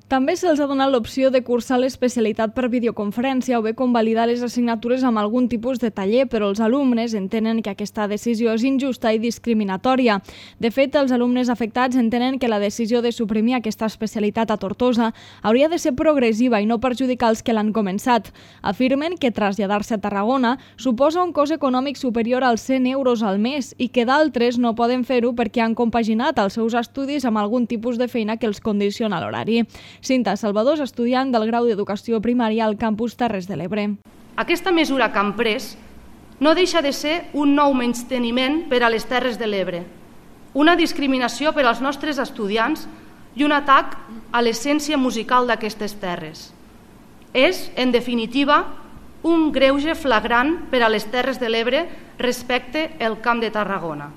També se'ls ha donat l'opció de cursar l'especialitat per videoconferència o bé convalidar les assignatures amb algun tipus de taller, però els alumnes entenen que aquesta decisió és injusta i discriminatòria. De fet, els alumnes afectats entenen que la decisió de suprimir aquesta especialitat a Tortosa hauria de ser progressiva i no perjudicar els que l'han començat. Afirmen que traslladar-se a Tarragona suposa un cost econòmic superior als 100 euros al mes i que d'altres no poden fer-ho perquè han compaginat els seus estudis amb algun tipus de feina que els condiciona l'horari. Cinta Salvador és estudiant del grau d'Educació Primària al campus Terres de l'Ebre. Aquesta mesura que han pres no deixa de ser un nou menysteniment per a les Terres de l'Ebre, una discriminació per als nostres estudiants i un atac a l'essència musical d'aquestes terres. És, en definitiva, un greuge flagrant per a les Terres de l'Ebre respecte al Camp de Tarragona.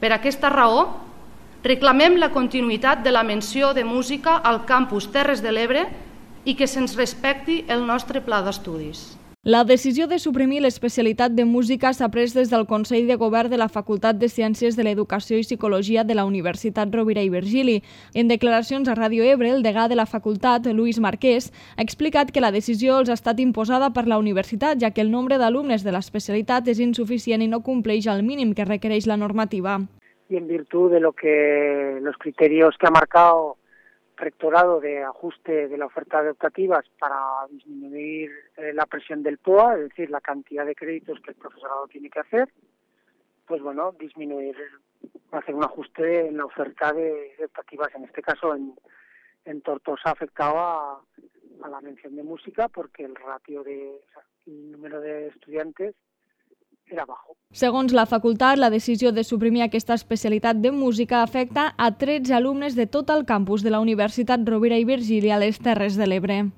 Per aquesta raó, reclamem la continuïtat de la menció de música al campus Terres de l'Ebre i que se'ns respecti el nostre pla d'estudis. La decisió de suprimir l'especialitat de música s'ha pres des del Consell de Govern de la Facultat de Ciències de l'Educació i Psicologia de la Universitat Rovira i Virgili. En declaracions a Ràdio Ebre, el degà de la facultat, Lluís Marquès, ha explicat que la decisió els ha estat imposada per la universitat, ja que el nombre d'alumnes de l'especialitat és insuficient i no compleix el mínim que requereix la normativa. Y en virtud de los criterios que ha marcado el rectorado de ajuste de la oferta educativa para disminuir la presión del POA, es decir, la cantidad de créditos que el profesorado tiene que hacer, pues bueno, hacer un ajuste en la oferta de educativas. En este caso, en Tortosa afectaba a la mención de música porque el número de estudiantes era bajo. Segons la facultat, la decisió de suprimir aquesta especialitat de música afecta a 13 alumnes de tot el campus de la Universitat Rovira i Virgili a les Terres de l'Ebre.